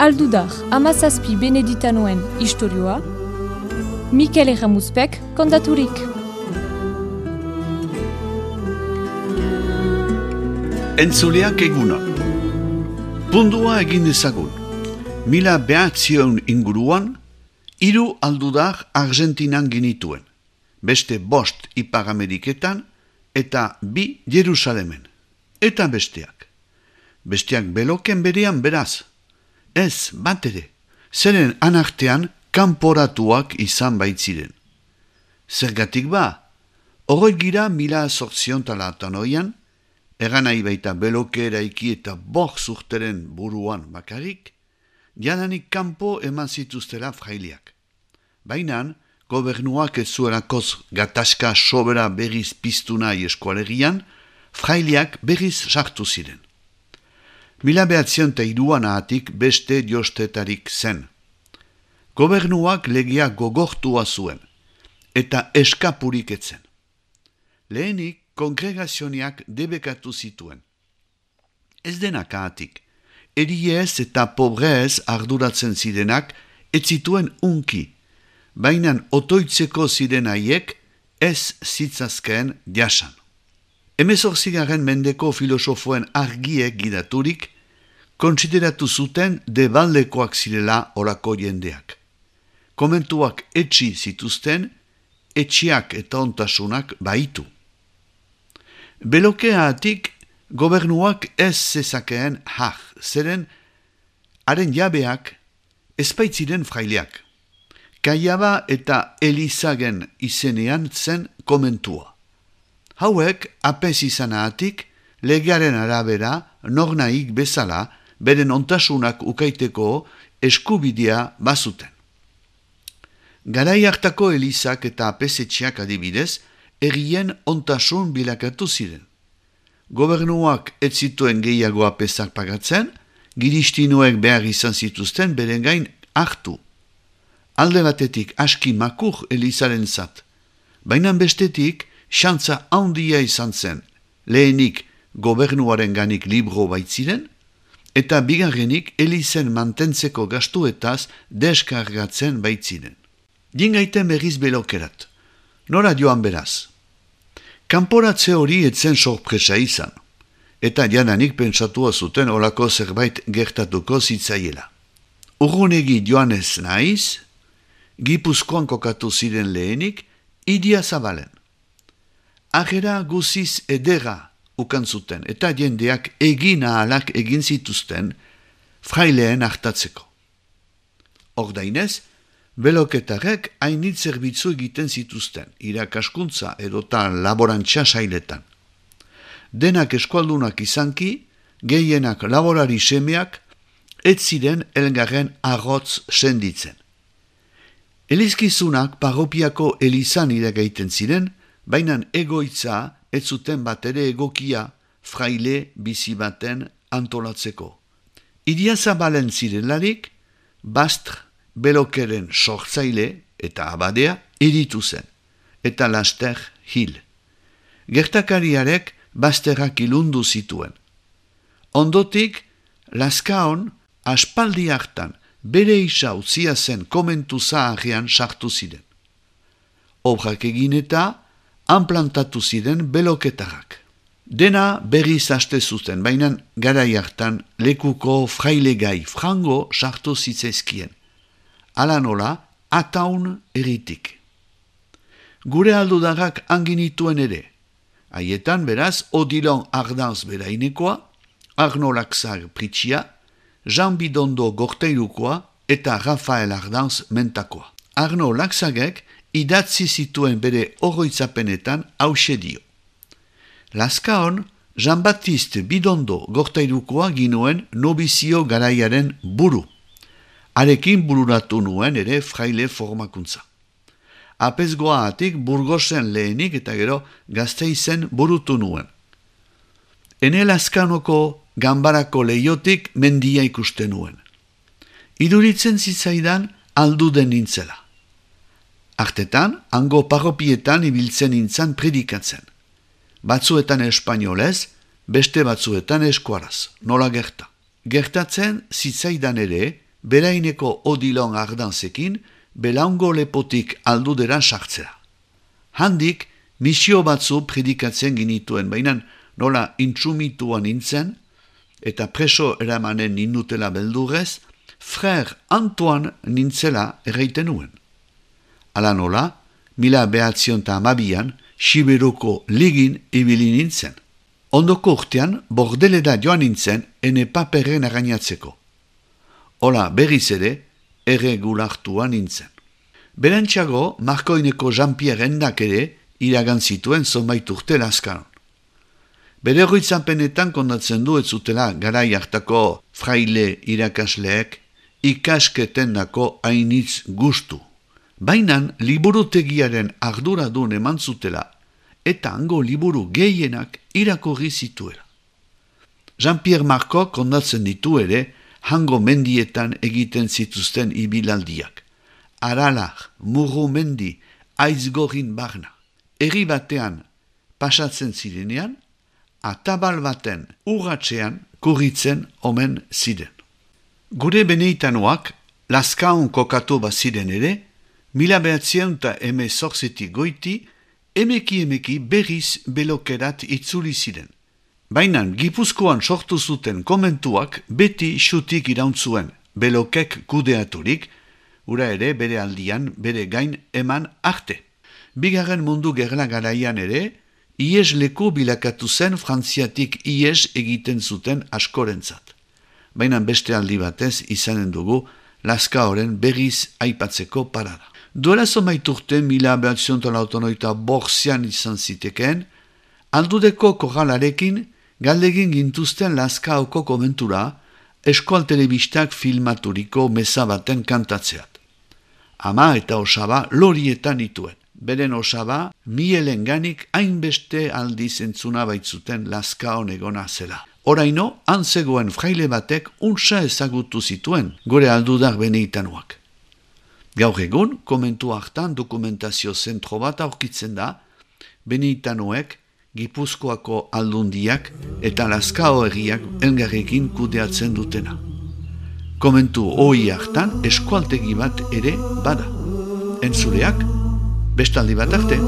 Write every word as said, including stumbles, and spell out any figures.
Aldudar, amazazpi beneditanoen istorioa, Mikel Erramuzpek kontaturik. Entzuleak egunon. Pundua egin dezagun. Mila behatzion inguruan, hiru aldudar Argentinan ginituen. Beste bost Ipar Ameriketan eta bi Jerusalemen. Eta besteak. Besteak beloken berean beraz. Ez, bat ere, zeren anartean kanporatuak izan baitziren. Zergatik ba, horrek gira mila zortzion talatan oian, eganai baita beloke eraiki eta bok zurteren buruan bakarik, jadanik kanpo eman zituztera fraileak. Bainan, gobernuak ez zuelakoz gatazka sobera berriz piztu nahi eskualegian, fraileak berriz sartu ziren. Mila behatzion eta iruan ahatik beste jostetarik zen. Gobernuak legia gogortua zuen, eta eskapurik etzen. Lehenik, kongregazioniak debekatu zituen. Ez denak ahatik, eriez eta pobrez arduratzen zirenak ez zituen unki, bainan otoitzeko ziren haiek ez zitzazkeen jasan. Hemezortzigaren mendeko filosofoen argiek gidaturik, kontsideratu zuten debaldekoak zirela orako jendeak. Komentuak etxi zituzten, etxiak eta ontasunak baitu. Belokeatik gobernuak ez zezakeen har, zeren haren jabeak ezpaitziren fraileak. Kaiaba eta Elizagen izenean zen komentua. Hauek, apez izanatik, legearen arabera, nornaik bezala, beren ontasunak ukaiteko eskubidea bazuten. Garai hartako Elizak eta apezetxeak adibidez, errien ontasun bilakatu ziren. Gobernuak ez zituen gehiago apezak pagatzen, giristinuek behar izan zituzten beren gain hartu. Alde batetik aski makur Elizaren zat, baina bestetik, xantza handia izan zen, lehenik gobernuaren ganik libro baitziren, eta bigarrenik Elizen mantentzeko gastuetaz deskargatzen baitziren. Dingaiten berriz belokerat. Nora joan beraz. Kanporatze hori etzen sorpresa izan, eta jadanik pentsatua zuten olako zerbait gertatuko zitzaiela. Urrunegi joanez naiz, Gipuzkoan kokatu ziren lehenik, Idia Zabalen. Agera guziz edera ukan zuten, eta jendeak egin ahalak egin zituzten fraileen hartatzeko. Ordainez, beloketarek hainit zerbitzu egiten zituzten, irakaskuntza edota laborantza sailetan. Denak eskualdunak izanki, gehienak laborari semeak, ez ziren elgarren arrotz senditzen. Elizkizunak parropiako elizan iragaiten ziren, bainan egoitza ez zuten bat ere egokia fraile bizi baten antolatzeko. Idia Zabalen zirelarik, Bastr belokeren sortzaile eta abadea eritu zen, eta laster hil. Gertakariarek Basterrak ilundu zituen. Ondotik, Lazkaon aspaldi hartan bere isa utzia zen komentu zaharrean sartu ziren. Obrak egin eta anplantatu ziren beloketarrak. Dena berriz haste zuten, baina garai hartan lekuko frailegai frango sartu zitzaizkien. Hala nola, ataun eritik. Gure aldudarrak anginituen ere. Haietan beraz, Odilon Ardanz berainekoa, Arno Laxar Pritxia, Jean Bidondo Gorteilukoa eta Rafael Ardanz mentakoa. Arno Laxagek idatzi zituen bere oroitzapenetan hause dio. Lazkaon, Jean-Baptiste Bidondo Gorteilukoa ginuen nobizio garaiaren buru. Arekin bururatu nuen ere fraile formakuntza. Apezgoa atik Burgosen lehenik eta gero Gasteizen burutu nuen. Ene Lazkanoko ganbarako leiotik mendia ikusten nuen. Iduritzen zitzaidan alduden nintzela. Artetan, hango parropietan ibiltzen nintzan predikatzen. Batzuetan espainolez, beste batzuetan eskuaraz, nola gerta. Gertatzen zitzaidan ere, beraineko odilon ardanzekin, belaungo lepotik aldudera sartzera. Handik, misio batzu predikatzen ginituen, baina nola intsumituan nintzen, eta preso eramanen nindutela beldurrez, Frère Antoine nintzela erraiten nuen. Ala nola, mila behatzion eta amabian, Siberoko ligin ibili nintzen. Ondoko urtean, bordeleda joan nintzen, ene paperren arrainatzeko. Ola berriz ere, erregulartua nintzen. Berantxago, Markoineko Jean-Pierre Endak ere, iragan zituen zonbait urte Laskaron. Bere horritzapenetan kondatzen du ez zutela garai hartako fraile irakasleek ikasketen dako hainitz gustu. Bainan liburutegiaren arduradun eman zutela eta hango liburu gehienak irakurri zituela. Jean-Pierre Marco kondatzen ditu ere hango mendietan egiten zituzten ibilaldiak. Aralar, Murumendi, Aizgorin barna. Herri batean pasatzen zirenean, atabal baten urratxean kurritzen omen ziren. Gure beneitanoak, Laskaon kokatu baziren ere, mila behatzien eta eme zorzetik goiti, emeki emeki berriz belokerat itzuli ziren. Bainan Gipuzkoan sortu zuten komentuak beti xutik irauntzuen, belokek kudeaturik, ura ere bere aldian bere gain eman arte. Bigarren mundu gerla garaian ere, ies leku bilakatu zen Frantziatik ies egiten zuten askorentzat. Baina beste aldi batez izanen dugu Laskaoren berriz aipatzeko parada. Duela zomait urte mila behatzion laurogeita bortzian izan zitekeen, aldudeko korralarekin galdegin gintuzten Laskaoko komentura eskual telebistak filmaturiko meza baten kantatzeat. Ama eta osaba lorietan ituen. Beren osaba, mielenganik hainbeste aldiz entzuna baitzuten Laskaon egona zela. Oraino, antzegoen fraile batek untsa ezagutu zituen, gore aldudak beneitanuak. Gaur egun, komentu hartan dokumentazio zentro bat aurkitzen da, beneitanuek, Gipuzkoako aldundiak eta Laskao herriak elgarrekin kudeatzen dutena. Komentu hoi hartan eskualtegi bat ere bada. Entzuleak, bestaldi bat arte.